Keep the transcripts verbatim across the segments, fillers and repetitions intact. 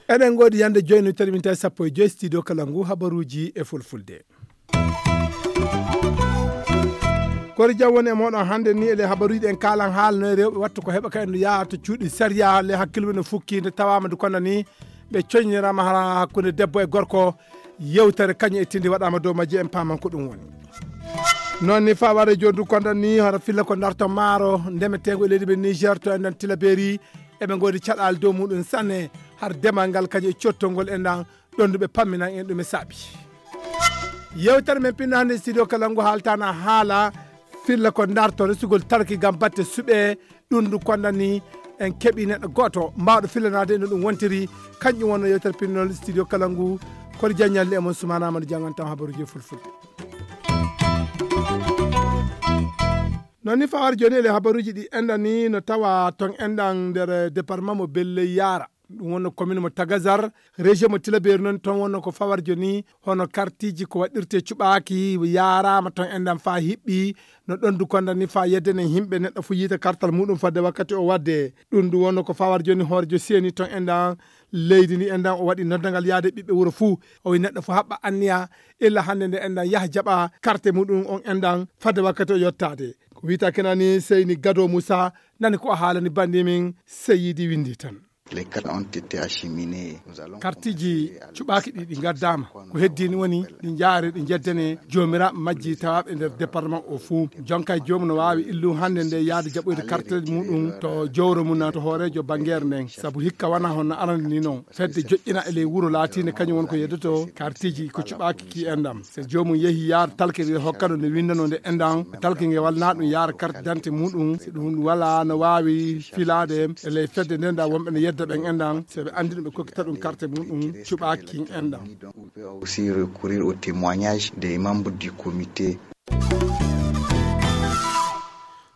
Eɗen ngoodi yande joyi no tawi min tawi sappo e joyi studio kala ngu habaruuji e fulfulde. Kori jam woni e mooɗon hannde ni e le habaruuji en kaalan haala no e rewɓe wattu ko heɓa ka en no yaha to cuuɗi sariya le hakkille mum no fukki nde tawaama ndu kono ni ɓe coñinirama hara hakkunde debbo e gorko. Yewtere kañum e tindi waɗama dow majji en paaman ko ɗum woni. Noon ni fa waɗa joni ndu kondan ni hoto filla ko darto maaro ndemetego e leydi men niger to enen tilaberi eɓe ngoodi caɗaali dow muɗum sanne. Har demal ngal kañum e cottol ngol enɗan ɗon ndu ɓe pamminan en ɗum e saabi. Yewtere men pinno hannde studio kala ngu haaltana haala filla ko darto resugol talki ngam batte suɓe. Ɗum ndu kondan ni en keɓi neɗɗo gooto mbawɗo fillanaade no ɗum wontiri. Kanƴum wonno yewtere pinnol studio kala ngu. Kono jaññalli e mon sumana mano jangantam habaruji e fulfulde. Noon ni fawar joni ele habaruji ɗi enɗan ni no tawa ton enɗan nder département mo belle yara. Ɗum wonno commune mo tagazar, région mo tilaberi noon ton wonno ko fawar joni hono kartiji ko waɗirte cuɓaaki yarama ton enɗan fa hiɓɓi. No ɗon du kondan ni fa yeddenen himɓe neɗɗo fu yiita kartal muɗum fadde wakkati o wadde. Ɗum du wonno ko fawar joni hoorejo seni ton enɗan leydi ndi enɗan o waɗi noddagal yaade ɓiɓɓe wuro fuu. O wi neɗɗo fu haɓɓa anniya illa hannde nde enɗan yaha jaɓa karte muɗum on enɗan fadde wakkati o yottaade. Ko wiyta kenani seyni gado moussa nani ko o haalani bandi min seyidi windi tan. Les cartes ont été acheminées. Kartiji cuɓaaki ɗi ɗi ngaddama ko heddini woni ɗi jaare ɗi jeddane joomiraaɓe majji tawaaɓe nder département o fuu. Jonka e joomum no waawi illu hannde nde yaade jaɓoyde karteji muɗum to jowro mum na to hoorejo banngeere nden sabu hikka wona hono arande ni noon. Fedde joƴƴina e ley wuro laatiinde kañum woni ko yeddoto kartiji ko cuɓaaki ki enɗam. So joomum yehi yaar talke nde hokkano nde winndano nde enɗam talke nge walna ɗum yaara carte d'identité muɗum si ɗum wala no waawi filaade e ley fedde nden da wonɓe ne yedda ɓen enɗam so ɓe anndi ɗum ɓe kokkita ɗum carte muɗum cuɓaaki enɗam. Aussi recourir au témoignage des membres du comité.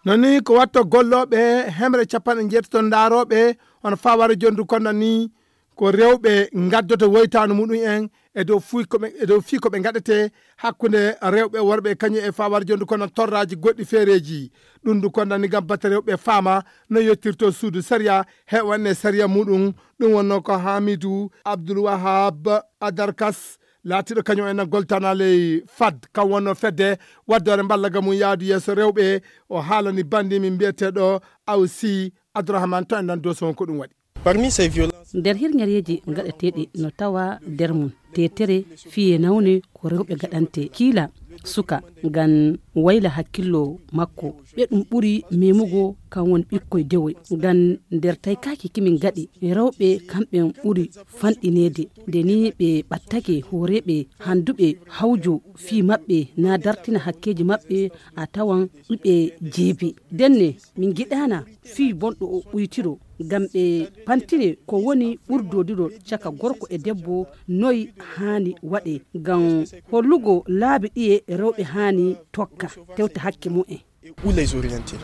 Noon ni ko watto gollooɓe hemre capanɗe njeetato ndaarooɓe hono fawara jondu konno ni ko rewɓe ngaddoto woytaanu muɗum en e dow fii ko ɓe e dow fii ko ɓe ngaɗete hakkunde rewɓe e worɓe kañum e fawar jondu kono torraji goɗɗi feereji. Ɗum ndu kondani gam batte rewɓe faama no yettirto suudu sariya he wanne sariya muɗum. Ɗum wonno ko hamidu abdoul wahab adarkas laatiɗo kañum en goltana ley fad kam wonno fedde waddore mballa ga mum yaadu yeeso rewɓe. O haalani bandi min mbiyeteɗo awsi abdourahmane to en nan doson ko ɗum waɗi. Parmi ces violences nder hirñereeji gaɗeteeɗi no tawa nder mum teetere fiye nawne ko rewɓe gaɗante kiila suka ngam wayla hakkillo makko. Ɓe ɗum ɓuri memugo kan won ɓikkoy dewoy ngam nder taykaaki kimin gaɗi rewɓe kamɓe ɓuri fanɗineede nde ni ɓe ɓattake hooreeɓe hannduɓe hawjo fii maɓɓe na dartina hakkeeji maɓɓe a tawan ɓe jeebi. Ndenne min ngiɗaana fii bonɗo o ɓuytiro ngam ɓe pantine ko woni ɓurdodirol caka gorko e debbo noy haani waɗe ngam hollugo laabi ɗiye rewɓe haani tokka tewta hakke mumen. Ou les orienter.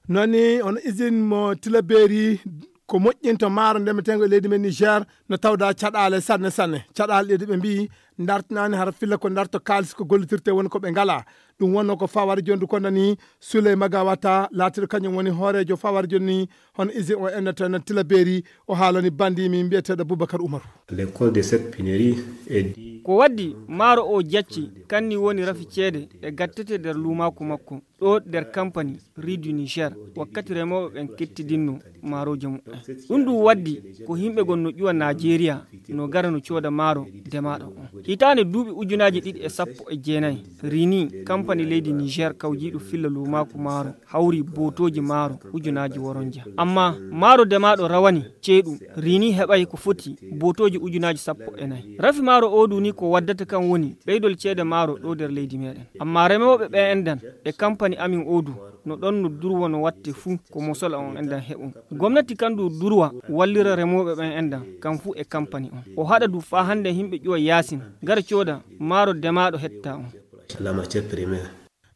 Noon ni on usine mo tilaberi ko moƴƴinto maaro ndemeteengo e leydi men niger no tawda caɗaale sanne sanne caɗaale ɗe ɓe mbiyi dartinaani hara filla ko darto kaalis ko gollitirte woni ko ɓe ngala. Ɗum wonno ko fawari jondu ko nani souley magawata laatiɗo kañum woni hooreejo fawari jonni hono usine o ennata no tilaberi. O haalani bandi min mbiyeteeɗo boubacar oumaru. L'école de cette pinerie est dit ko waddi maaro o jacci kanni woni rafi ceede e gattete nder luumaaku makko ɗo nder kampani rue du niger. Wakkati remooɓe ɓen kettidinno maarooje muɓɓen ɗum ɗum waddi ko yimɓe gon no ƴuwa najeriya no gara no cooda maaro demaaɗo on hitaande duuɓi ujunaaji ɗiɗi e sappo e jeenayi. Rini kampani leydi niger kawjiiɗo filla luumaaku maaro hawri bootooji maaro ujunaaji woronja amma maaro demaaɗo rawani ceeɗu rini heɓay ko foti bootooji ujunaaji sappo e nayi. Rafi maaro odu ni ko waddata kan woni ɓeydol ceede maaro ɗo nder leydi meɗen amma remooɓe ɓe endan e kampani amin odu no ɗon no durwa no watte fuu ko mosola on endan heɓun. Gomnati kan du durwa wallira remooɓe ɓen endan kan fuu e kampani on o haɗa du faa hannde yimɓe ƴuwa yaasin gara cooda maaro demaaɗo hetta on. La matière première.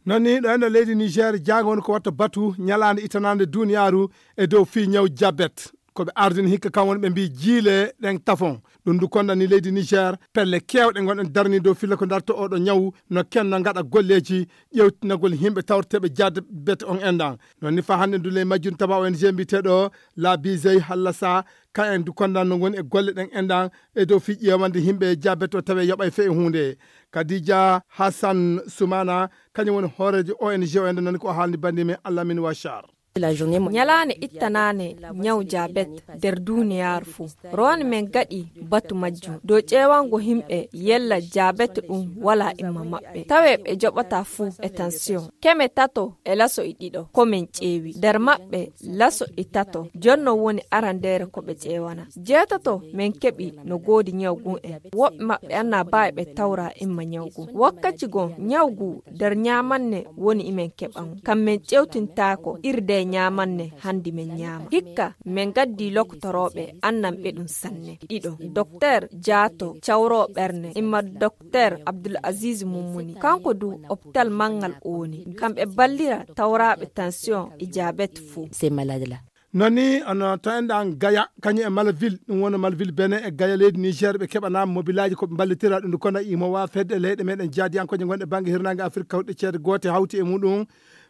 Noon ni ɗo eno leydi niger jaango woni ko watta batu ñalaande ittanaande duniyaaru e dow fii ñaw jabet. Ko ɓe ardini hikka kam woni ɓe mbii jiile ɗen tafon Ɗum ndu konda ni leydi Niger, pelle keewɗe ngonɗen darni dow filla ko darto oɗo ñaw, no kenno ngaɗa golleeji ƴewtinagol yimɓe tawreteeɓe jabet on enɗan. Non ni fa hannde ndu ley majjum taba O N G mbiyeteeɗo La Bizey Hallasa, ka en du konda no ngoni e golle ɗen enɗan e dow fii ƴeewande yimɓe jabet o tawe yoɓay fe e huunde. Kadija Hassan Sumana, kañum woni hooreejo O N G o enɗan, nani ko o haalni bandi men Alamin Wachar. Ñalaande ittanaane ñaw jabet nder duniyaaru fuu. Rowane men gaɗi batu majjum dow ƴeewango yimɓe yella jabet ɗum walaa imma maɓɓe. Tawe ɓe joɓata fuu e tension. Keme tato e laso e ɗiɗo ko men ƴeewi. Nder maɓɓe laso e tato jonno woni arandeere ko ɓe ƴeewana. Jeetato men keɓi no goodi ñaw gun en. Woɓɓe maɓɓe annaa baa e ɓe tawra imma ñaw gun. Wakkati gon ñaw gun nder ñaamanne woni imen keɓan. Kam men ƴewtintaako irde ñaamanne handi men ñaama. Hikka men gaddi lokotorooɓe annan ɓe ɗum sanne. Ɗiɗo, Dokteer Jaato cawroo ɓerne imma Dokteer Abdul Aziz Mummuni. Kanko du opital manngal o woni. Kamɓe ballira tawraaɓe tension e jabet fuu. Ces malades-là. Non ni ono to enɗan Gaya kañum e Malville, ɗum woni Malville Benin e Gaya leydi Niger, ɓe keɓana mobilaaji ko ɓe mballitira ɗum ndu kono imo wa fedde leyɗe meɗen jaadiyankooje gonɗe bannge hirnaange Afirka hawtuɗe ceede goote hawti e muɗum.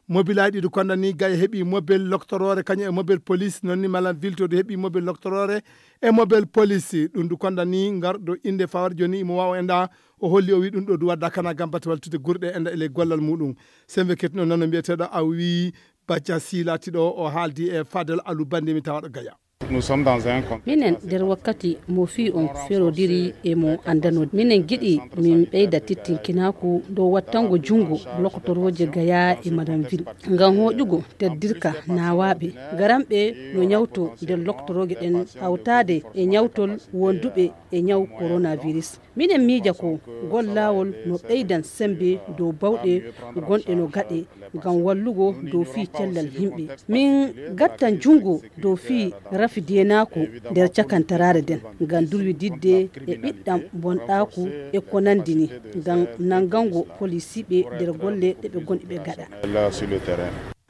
Mobilaaji ɗi ndu konda ni Gaya heɓi mobel loktoroore kañum e mobel police, non ni Malville to du heɓi mobel loktoroore e mobel police. Ɗum ndu konda ni ngarɗo innde fawar jooni imo wawa enɗa, o holli o wi ɗum ɗo du wadda kana gam bate waltude gurɗe enɗa e ley gollal muɗum. Sembe ketino nano mbiyeteɗo a wi Bacca Si laatiɗo o haaldi e Fadel Alu bandi mi tawaɗo Gaya. Nous sommes dans un contexte. Minen nder wakkati mo fii on ferodiri e mo anndano. Minen giɗi min ɓeyda tittinkinaaku dow wattango junngo lokotorooje Gaya e Madame Ville. Ngam hooƴugo teddirka naawaaɓe. Garanɓe no ñawto nder lokotorooje ɗen hawtaade e ñawtol wonduɓe e ñaw coronavirus. Minen miija ko ngol laawol no ɓeydan semmbe dow bawɗe gonɗe no gaɗe ngam wallugo dow fii cellal yimɓe. Min gattan junngo dow fii rafi deenaaku nder cakantaraare nden ngam durwididde e ɓiɗɗam bonɗaaku e ko nanndi ni ngam nanngango polisiiɓe nder golle ɗe ɓe gonɗi ɓe gaɗa.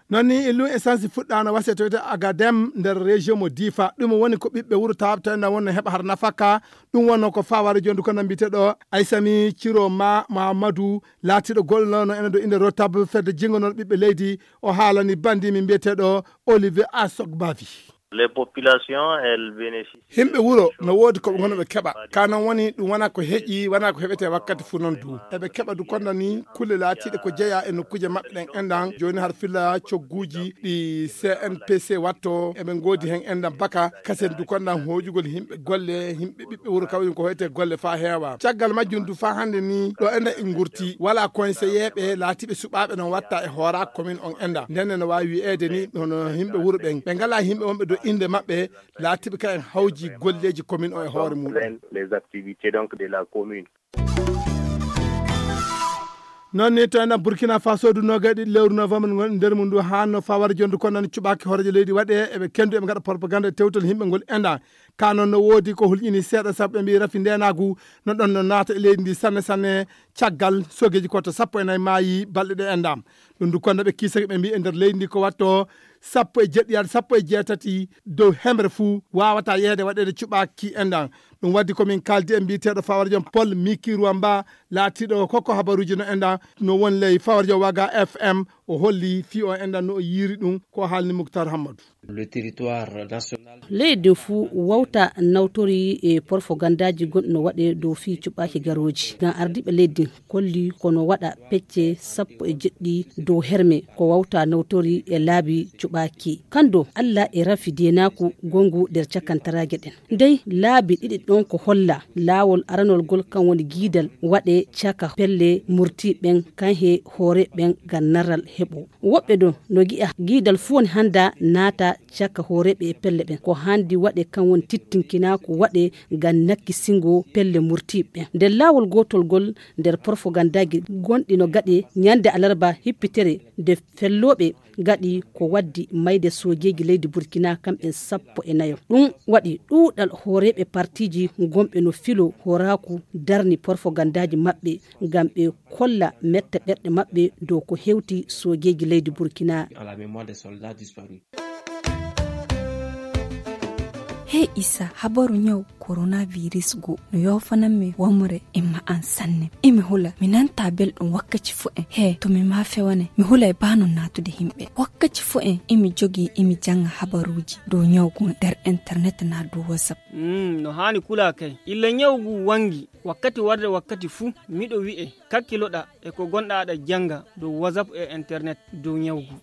Non ni illum essence fuɗɗaano wasiya to wiyetee Agadem nder région mo Difa. Ɗum woni ko ɓiɓɓe wuro tawɓe tawi na wonno heɓa har nafaka. Ɗum wonno ko faware jondu ko no mbiyeteɗo Aysami Ciro Ma Mahamadou, laatiɗo golloono ene dow innde Rotab fedde jingonooɗo ɓiɓɓe leydi. O haalani bandi mi mbiyeteɗo Olivier Asogbavi. Les populations, elles bénéficient. Himɓe wuro no woodi ko ɓe ngoni ɓe keɓa. Ka non woni ɗum wona ko heƴi, wona ko heɓete wakkati fuu non du. Eɓe keɓa du kono ni kulle laatiiɗe ko jeya e nokkuuje maɓɓe ɗen enɗan. Jooni har filla cogguuji ɗi C N P C watto, eɓe ngoodi hen enɗan baka. Kasen du konɗan hooƴugol himɓe golle, himɓe ɓiɓɓe wuro kawri ko hoyte golle faa heewa. Caggal majjum du faa hannde ni ɗo enɗan en ngurti. Wala conseiller ɓe laatiiɓe suɓaaɓe no watta e hoora commune on enɗan. Nden no waawi wi'eede ni hono himɓe wuro ɓen. Ɓe ngala himɓe wonɓe dow innde maɓɓe. Laatiiɓe ka en hawji golleeji commune o e hoore muɗum. Les activités donc de la commune. Non ni to enen Burkina Faso du noga e ɗiɗi lewru novembre ngon nder mum du hanno fawar jondu kono nan cuɓaki hooreejo leydi waɗe eɓe kendu eɓe ngaɗa propagande e tewtol yimɓe ngol enɗan. Ka non no woodi ko hulƴini seeɗa sabu ɓe mbi rafi ndenagu no ɗon no naata e leydi ndi sanne sanne. Caggal sogeji ko to sappo e nayi maayi balɗe ɗe enɗan. Ɗum du kono ɓe kiisake ɓe mbi e nder leydi ndi ko watto sappo e jeɗɗi yaade sappo e jeetati dow hemre fuu wawata yeede waɗede cuɓaki enɗan. Ɗum waddi komin kaldi e mbiyeteɗo fawara joom Paul Miki Ruwamba, laatiɗo kokko habaruji no enɗan no won ley fawara joom Waga F M. O holli fii o enɗan no o yiiri ɗum ko haalni Muktar Hammadu. Le territoire national. Leydi fuu wawta nawtori e porfogandaaji gonɗi no waɗe dow fii cuɓaaki garooji. Ngam ardiiɓe leydi kolli ko no waɗa pecce sappo e jeɗɗi dow herme ko wawta nawtori e laabi cuɓaaki. Kando Alla e rafi deenaaku gongu nder cakantaraaje ɗen. Ndey laabi ɗiɗi ɗon ko holla laawol aranol gol kan woni giidal waɗe caka pelle murti ɓen kan he hoore ɓen ngam narral heɓo. Woɓɓe ɗon no gi'a giidal fuu woni hannda naata caka hooreeɓe e pelle ɓen. Ko hanndi waɗe kan woni tittinkinaa ko waɗe ngam nakkisingo pelle murtiiɓe ɓen. Nder laawol gootol gol nder porfogandaaji gonɗi no gaɗe ñande alarba hippitere nde fellooɓe gaɗi ko waddi mayde soojeeji leydi Burkina kamɓen sappo e nayo. Ɗum waɗi ɗuuɗal hooreeɓe partiiji gonɓe no filo hooraaku darni porfogandaaji maɓɓe ngam ɓe kolla metta ɓerɗe maɓɓe dow ko hewti soojeeji leydi Burkina. À la mémoire des soldats disparus. Hey Isa, habaru ñaw coronavirus go no yoofanammi wamre e ma'an sanne. Imi hula, mi nanta belɗum wakkaci fu en. He, to mi ma fewane, mi hulay ba non natude himɓe. Wakkaci fu en imi jogi imi janga habaruji dow ñaw gun nder internet na dow WhatsApp. Mm, no haani kula kay. Illa ñaw gu wangi, wakkati warde wakkati fu, miɗo wi'e, kakkiloɗa e ko gonɗa aɗa janga dow WhatsApp e internet dow ñaw gu.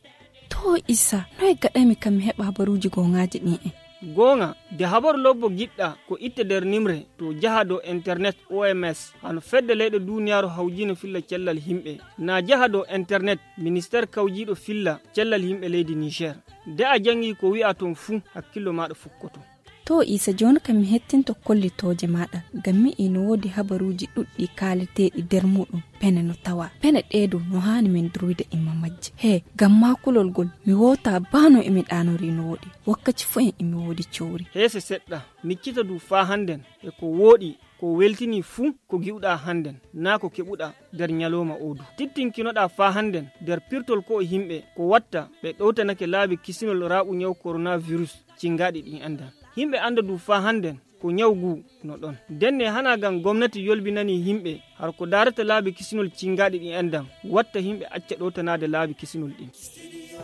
To Isa, noy gaɗami kam mi heɓa habaruji goŋaji ɗin en? Gooŋa, de habaru lobbo giɗɗa ko itte nder nimre to jaha dow internet O M S, hano fedde leyɗe duniyaaru hawjiino filla cellal himɓe. Na jaha dow internet ministeer kawjiiɗo filla cellal himɓe leydi Niger. De a jangi ko wi'a ton fu, hakkillo maɗa fukkoto. To Isa, joni kam mi hettinto kollitooje maɗa, ngam mi ino wodi habaruji ɗuɗɗi kaaleteɗi nder muɗum. Pene no tawa. Pene ɗee dow no haani min durwida imma majje. He, ngam maa kulol ngol, mi woota baa no emi ɗaanori no woɗi. Wakkaci fu en emi woodi cowri. Heese seɗɗa, miccita du faa hannden e ko wooɗi, ko weltini fuu ko gi'uɗaa hannden, naa ko keɓuɗaa nder nyalooma oo du. Tittinkinoɗaa faa hannden nder pirtol ko'o himɓe, ko watta ɓe ɗowtanake laabi kisinol raaɓu nyawu coronavirus cingaaɗi ɗin anndan. Himɓe annda du faa hannden ko nyawu guu no ɗon. Ndenne hanaa ngam gomnati yolbinanii himɓe har ko daarata laabi kisinol cingaaɗi ɗin anndan, watta himɓe acca ɗowtanaade laabi kisinol ɗin.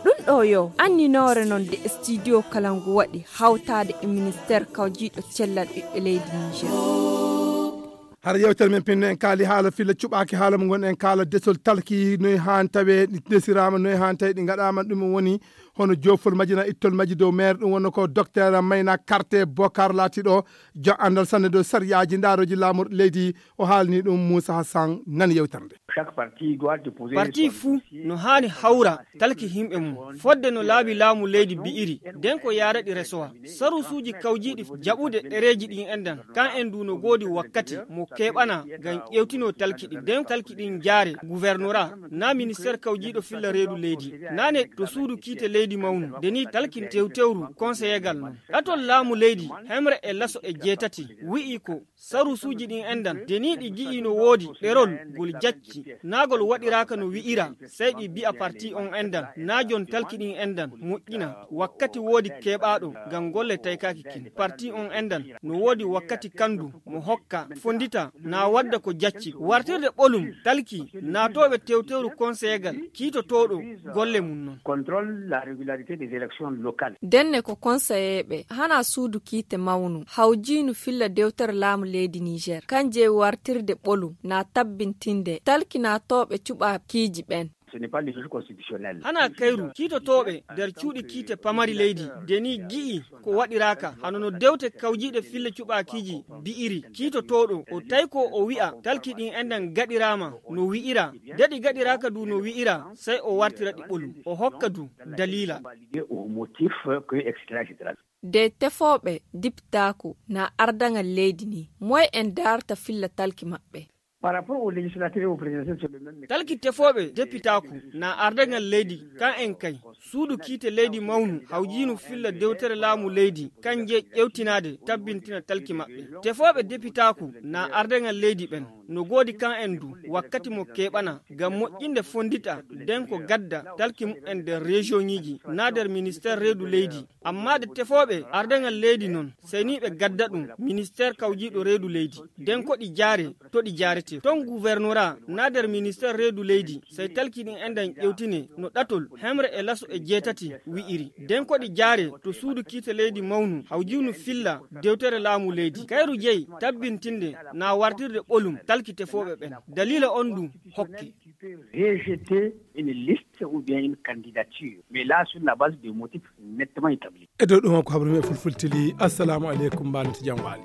Ɗum ɗo yo anninoore non nde studio kala ngu waɗi hawtaade e ministeer kawjiiɗo cellal ɓiɓɓe leydi Niger. Hara yewtere men pinno en kaali haala filla cuɓaaki haala mo ngon en kaala desol talki noy haan tawe ɗi ndesiraama, noy haan tawe ɗi ngaɗaama. Ɗum woni hono joofol majji na ittol majji dow maire, ɗum wonno ko docteur Mayna Karte Bokar laatiɗo jo anndal sanne dow sariyaaji ndaaroji laamu leydi. O haalni ɗum Moussa Hassan, nan yewtere nde. Parti fuu no haani hawra talki himɓe mum fodde no laabi laamu leydi bi'iri, nden ko yaaraɗi resowa. Sarusuuji kawjiiɗi jaɓude ɗereeji ɗin endan, kan en du no goodi wakkati mo keɓana ngam ƴewtino talki ɗin. Nden talki ɗin jaare gouvernorat, na ministeer kawjiiɗo filla reedu leydi, nane to suudu kiite leydi mawnu. Nde ni talki tewtewru konseyegal non. Ɗatol laamu leydi hemre e laso e jeetati wi'i ko sarusuuji ɗin endan, de ni ɗi gi'i no woodi ɗerol ngol jacci, naa ngol waɗiraaka no wi'ira, sey ɗi bi'a parti on endan, naa jon talki ɗin endan, moƴƴina, wakkati woodi keɓaaɗo ngam golle taykaaki kin. Parti on endan, no woodi wakkati kandu mo hokka, fondita, naa wadda ko jacci. Wartirde ɓolum, talki, naatooɓe tewtewru konseyegal, kiitotooɗo golle mum non. Contrôle la régularité des élections locales. Denne ko konseyeeɓe, hana suudu kiite mawnu, hawjiinu filla dewtere laamu leydi Niger, kan jeyi wartirde ɓolu, na tabbintinde, talkinaatooɓe cuɓaakiiji ɓen. Ce n'est pas le juge constitutionnel. Hana kayru, kiitotooɓe nder cuuɗi kiite pamari leydi, de ni gi'i ko waɗiraaka, hano no dewte kawjiiɗe filla cuɓaakiiji bi'iri, kiitotooɗo, o tawi ko o wi'a, talki ɗin endan gaɗiraama no wi'ira, de ɗi gaɗiraaka du no wi'ira, sey o wartira ɗi ɓolum, o hokka du daliila. Au motif que et cetera, et cetera. De tefooɓe dipitaaku na ardaŋal leydi ni, moy en daarta filla talki maɓɓe? Par rapport aux législateurs et aux présidentielles, c'est le même mécanisme. Talki tefooɓe depitaaku na ardaŋal leydi, kan en kay. Suudu kiite leydi mawnu, hawjiinu filla dewtere laamu leydi, kan je ƴewtinaade, tabbintina talki maɓɓe. Tefooɓe depitaaku na ardaŋal leydi ɓen, no goodi kan en du, wakkati mo keɓana, ngam moƴƴinde fondita, den ko gadda, talki mu'en nder région ŋiji, na nder ministère reedu leydi. Amma de tefooɓe ardaŋal leydi non, sey ni ɓe gadda ɗum ministère kawjiiɗo reedu leydi. Den ko ɗi jaare, to ɗi jaarete. Ton gouvernorat na nder ministère reedu leydi, sey talki ɗin endan ƴewtine no ɗatol hemre e laso e jeetati wi'iri. Den ko ɗi jaare to suudu kiite leydi mawnu, hawjiinu filla dewtere laamu leydi. Kayru jeyi tabbintinde na wartirde ɓolum talki tefooɓe ɓen. Daliila on du hokke. Rejeter une liste ou bien une candidature, mais là, sur la base de motifs nettement établis. E dow ɗum ko habaru men fulfultili. Assalamu aleykum, mbaɗen to jam waali.